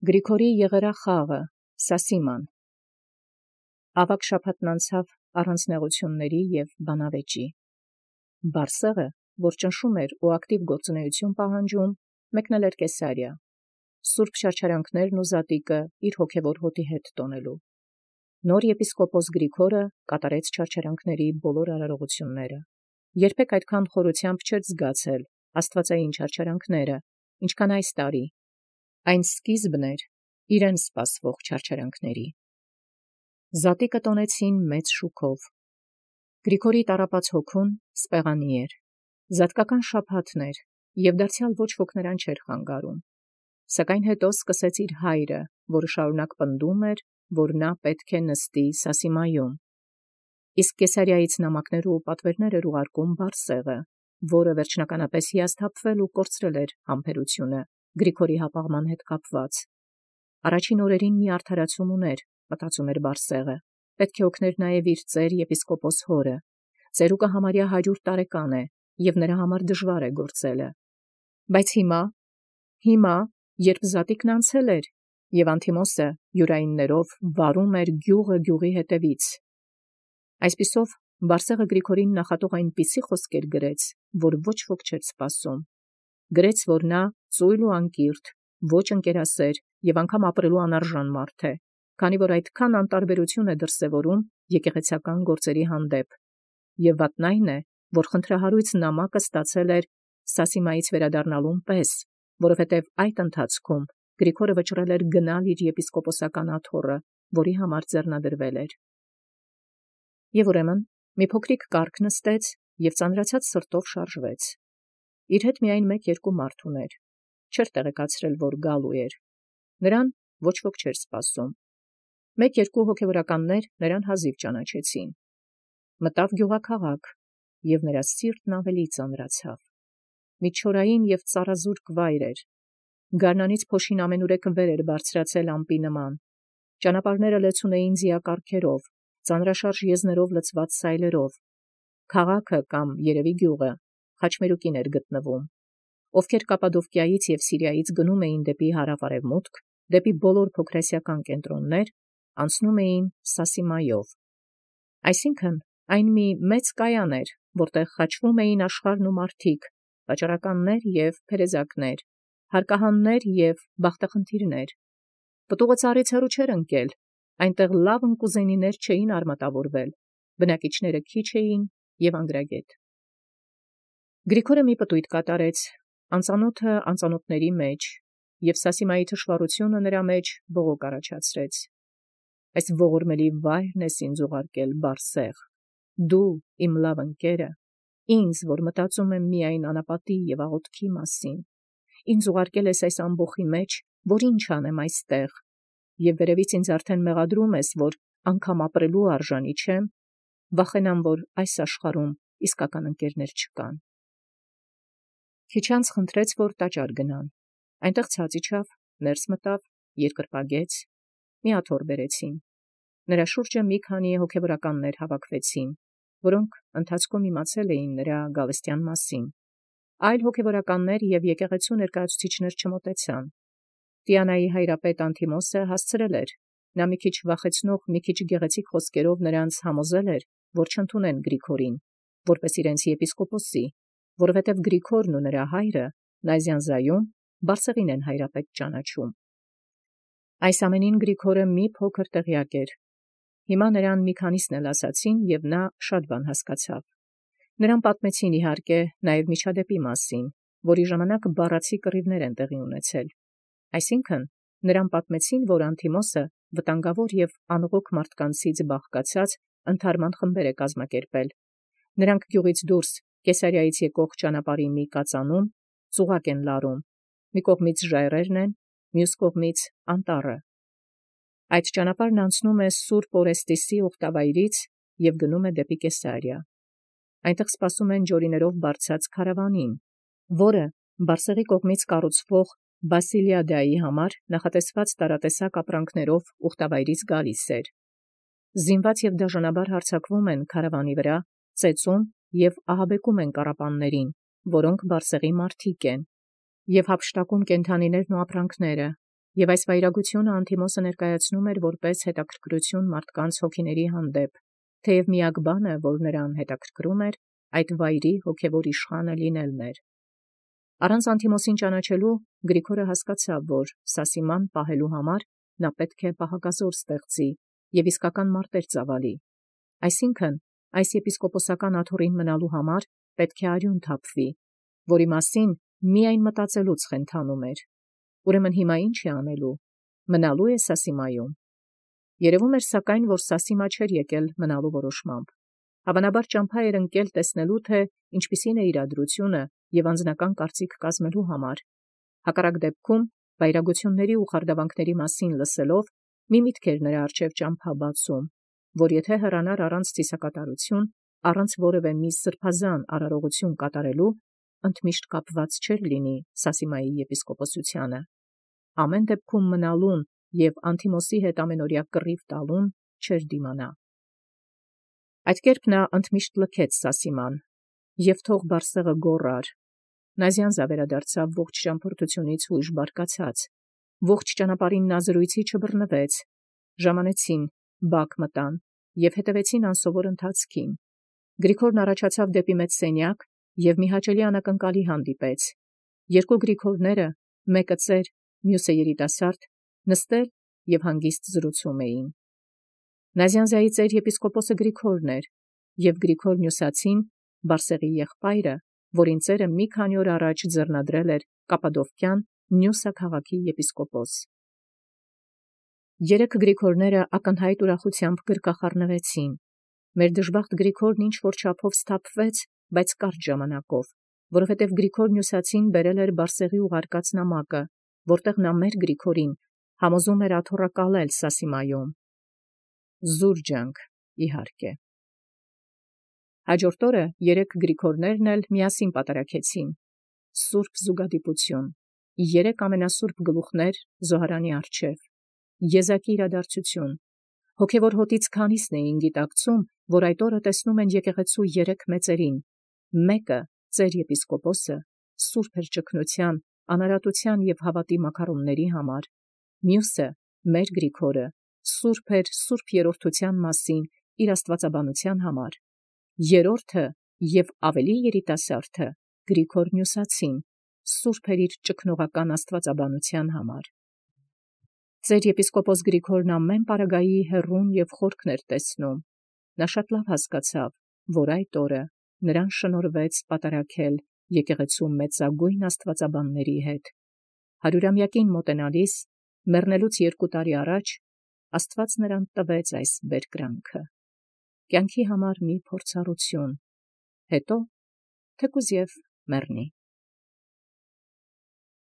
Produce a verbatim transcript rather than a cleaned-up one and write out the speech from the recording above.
Գրիգորի եղերախաղը, Սասիման։ Ավագ շաբաթն անցավ առանց նեղութիւնների և բանավեճի։ Բարսեղը, որ ճնշում էր ու ակտիվ գործունեություն պահանջում, մեկնել էր Կեսարիա, սուրբ չարչարանքներն ու զատիկը իր հոգևոր հոտի հետ տոնելու։ Նոր եպիսկոպոս Գրիգորը կատարեց չարչարանքների բոլոր արարողությունները։ Երբեք այդքան խորությամբ չէր զգացել աստվածային չարչարանքները, ինչքան այս տարի։ Այն սկիզբն էր իրեն սպասվող չարչարանքների։ Զատիկը տոնեցին մեծ շուքով։ Գրիգորի տառապած հոգուն սպեղանի էր։ Զատկական շաբաթն էր, և դարձյալ ոչ ոք նրան չէր խանգարում։ Սակայն հետո սկսեց իր հայրը, որը շարունակ պնդում էր, որ նա պետք է նստի Սասիմայում։ Իսկ Կեսարիայից նամակներ ու պատվերներ էր ուղարկում Բարսեղը, որը վերջնականապես հիասթափվել ու կորցրել էր համբերությունը Գրիգորի հապաղման հետ կապված։ Առաջին օրերին մի արդարացում ուներ, մտածում էր Բարսեղը, պետք է օգներ նաև իր ծեր եպիսկոպոս հորը։ Ծերուկը համարյա հարյուր տարեկան է, և նրա համար դժվար է գործելը։ Բայց հիմա, հիմա, երբ զատիկն անցել էր, և Անթիմոսը յուրայիններով վարում էր գյուղը գյուղի հետևից։ Այսպիսով Բարսեղը Գրիգորին նախատող այնպիսի խոսքեր գրեց, որ ոչ ոք չէր սպասում։ Գրեց, որ նա ծույլ ու անկիրթ, ոչ ընկերասեր և անգամ ապրելու անարժան մարդ է, քանի որ այդքան անտարբերություն է դրսևորում եկեղեցական գործերի հանդեպ։ Եվ վատն այն է, որ խնդրահարույց նամակը ստացել էր Սասիմայից վերադառնալուն պես, որովհետև այդ ընթացքում Գրիգորը վճռել էր գնալ իր եպիսկոպոսական աթոռը, որի համար ձեռնադրվել էր։ Եվ ուրեմն մի փոքրիկ կառք նստեց և ծանրացած սրտով շարժվեց։ Իր հետ միայն մեկ-երկու մարդ ուներ, չէր տեղեկացրել, որ գալու էր։ Նրան ոչ ոք չէր սպասում։ Մեկ-երկու հոգևորականներ նրան հազիվ ճանաչեցին։ Մտավ գյուղաքաղաք, և նրա սիրտն ավելի ծանրացավ։ Մի չորային և ծառազուրկ վայր էր։ Գարնանից փոշին ամենուրեք վեր էր բարձրացել ամպի նման։ Ճանապարհները լեցուն էին ձիակառքերով, ծանրաշարժ եզներով լցված սայլերով։ Քաղաքը կամ երևի գյուղը խաչմերուկին էր գտնվում։ Ովքեր Կապադովկիայից և Սիրիայից գնում էին դեպի հարավ-արևմուտք, դեպի բոլոր փոքրասիական կենտրոններ, անցնում էին Սասիմայով։ Այսինքն, այն մի մեծ կայան էր, որտեղ խաչվում էին աշխարհն ու մարդիկ, վաճառականներ և փերեզակներ, հարկահաններ և բախտախնդիրներ։ Պտուղը ծառից հեռու չէր ընկել, այնտեղ լավ ընկուզենիներ չէին արմատավորվել, բնակիչները քիչ էին և անգրագետ։ Գրիգորը մի պտույտ կատարեց, անծանոթը անծանոթների մեջ, և Սասիմայի թշվառությունը նրա մեջ բողոք առաջացրեց։ Այս ողորմելի վայրն ես ինձ ուղարկել, Բարսեղ, դու իմ լավ ընկերը, ինձ, որ մտածում եմ միայն անապատի և աղոթքի մասին, ինձ ուղարկել ես այս ամբոխի մեջ, որ ինչ անեմ այստեղ, և վերևից ինձ արդեն մեղադրում ես, որ անգամ ապրելու արժանի չեմ, վախենամ, որ այս աշխարհում իսկական ընկերներ չկան։ Քիչ անց խնդրեց, որ տաճար գնան։ Այնտեղ ցած իջավ, ներս մտավ, երկրպագեց, մի աթոռ բերեցին։ Նրա շուրջը մի քանի հոգևորականներ հավաքվեցին, որոնք ընթացքում իմացել էին նրա գալստյան մասին։ Այլ հոգևորականներ և եկեղեցու ներկայացուցիչներ չմոտեցան։ Տիանայի հայրապետ Անթիմոսը հասցրել էր, նա մի քիչ վախեցնող, մի քիչ գեղեցիկ խոսքերով նրանց համոզել էր, որ չընդունեն Գրիգորին, որպես իրենց եպիսկոպոսի, որովհետև Գրիգորն ու նրա հայրը Նազյանզայում Բարսեղին են հայրապետ ճանաչում։ Այս ամենին Գրիգորը մի փոքր տեղյակ էր։ Հիմա նրան մի քանիսն էլ ասացին, և նա շատ բան հասկացավ։ Նրան պատմեցին, իհարկե, նաև միջադեպի մասին, որի ժամանակ բառացի կռիվներ են տեղի ունեցել։ Այսինքն, նրան պատմեցին, որ Անթիմոսը վտանգավոր և անողոք մարդկանցից բաղկացած ընդհարման խմբեր է կազմակերպել։ Նրանք գյուղից դուրս Կեսարիայից եկող ճանապարհի մի կածանում ծուղակ են լարում, մի կողմից ժայռերն են, մյուս կողմից անտառը։ Այդ ճանապարհն անցնում է Սուրբ Օրեստիսի ուխտավայրից և գնում է դեպի Կեսարիա։ Այնտեղ սպասում են ջորիներով բարձած քարավանին, որը Բարսեղի կողմից կառուցվող Բասիլիադայի համար նախատեսված տարատեսակ ապրանքներով ուխտավայրից գալիս էր։ Զինված և դաժանաբար հարձակվում են քարավանի վրա, ծեծում և ահաբեկում են կառապաններին, որոնք Բարսեղի մարդիկ են, և հափշտակում կենդանիներն ու ապրանքները, Եւ այս վայրագութիւնը Անտիմոսը ներկայացնում էր որպես հետաքրքրություն մարդկանց հոգիների հանդեպ, թեև միակ բանը, որ նրան հետաքրքրում էր, այդ վայրի հոգևոր իշխանը լինելն էր։ Առանց Անտիմոսին ճանաչելու Գրիգորը հասկացավ, որ Սասիման պահելու համար նա պետք է պահակազոր ստեղծի եւ իսկական մարտեր ծավալի։ Այսինքն, այս եպիսկոպոսական աթոռին մնալու համար պետք է արյուն թափվի, որի մասին միայն մտածելուց խենթանում էր։ Ուրեմն հիմա ինչ է անելու։ Մնալու է Սասիմայում։ Երևում էր սակայն, որ Սասիմա չէր եկել մնալու որոշմամբ։ Հավանաբար ճամփա էր ընկել տեսնելու, թե ինչպիսին է իրադրությունը եւ անձնական կարծիք կազմելու համար։ Հակառակ դեպքում վայրագությունների ու խարդավանքների մասին լսելով մի միտք էր նրա առջև ճամփա բացում, որ եթե հեռանար առանց ցիսակատարություն, առանց որևէ մի սրբազան արարողություն կատարելու, ընդմիշտ կապված չէր լինի Սասիմայի եպիսկոպոսությանը։ Ամեն դեպքում մնալուն եւ Անտիմոսի հետ ամենօրյա կռիվ տալուն չէր դիմանա։ Այդ կերպ նա ընդմիշտ լքեց Սասիման, եւ թող Բարսեղը գոռար։ Նազյանզա վերադարձավ ողջ ճամփորդությունից հույժ բարկացած, ողջ ճանապարհին նա զրույցի չբռնվեց։ Ժամանեցին, բակ մտան եւ հետևեցին անսովոր ընթացքին։ Գրիգորն առաջացավ դեպի մեծ սենյակ եւ մի հաճելի անակնկալի հանդիպեց։ Երկու Գրիգորները, մեկը ծեր, մյուսը երիտասարդ, նստել եւ հանգիստ զրուցում էին։ Նազյանզայի ծեր եպիսկոպոսը Գրիգորն էր, եւ Գրիգոր Նյուսացին Բարսեղի եղբայրը, որին ծերը մի քանի օր առաջ ձեռնադրել էր Կապադովկյան Նյուսա քաղաքի եպիսկոպոս։ Երեք Գրիգորները ակնհայտ ուրախությամբ գրկախառնվեցին։ Մեր դժբախտ Գրիգորն ինչ որ չափով սթափվեց, բայց կարճ ժամանակով, որովհետև Գրիգոր Նյուսացին բերել էր Բարսեղի ուղարկած նամակը, որտեղ նա մեր Գրիգորին համոզում էր աթոռակալել Սասիմայում։ Զուրջանք, իհարկե։ Հաջորդ օրը երեք Գրիգորներն էլ միասին պատարակեցին։ Սուրբ զուգադիպություն, երեք ամենասուրբ գլուխներ Զոհարանի առջև, եզակի իրադարձություն։ Հոգևոր հոտից քանիսն էին գիտակցում, որ այդ օրը տեսնում են եկեղեցու երեք մեծերին։ Մեկը, ծեր եպիսկոպոսը, սուրբ էր ճգնության, անարատության եւ հավատի մակարոնների համար։ Մյուսը, մեր Գրիգորը, սուրբ էր սուրբ երրորդության մասին իր աստվածաբանության համար։ Երրորդը եւ ավելի երիտասարդը Գրիգոր Նյուսացին, սուրբ էր իր ճգնողական աստվածաբանության համար։ Ծեր եպիսկոպոս Գրիգորն ամեն պարագայի հեռուն եւ խորքն էր տեսնում։ Նա շատ լավ հասկացավ, որ այդ օրը նրան շնորհվեց պատարակել եկեղեցու մեծագույն աստվածաբանների հետ։ Հարյուրամյակին մոտենալիս, մեռնելուց երկու տարի առաջ, Աստված նրան տվեց այս բերկրանքը։ Կյանքի համար մի փորձառություն, հետո թեկուզ եւ մեռնի։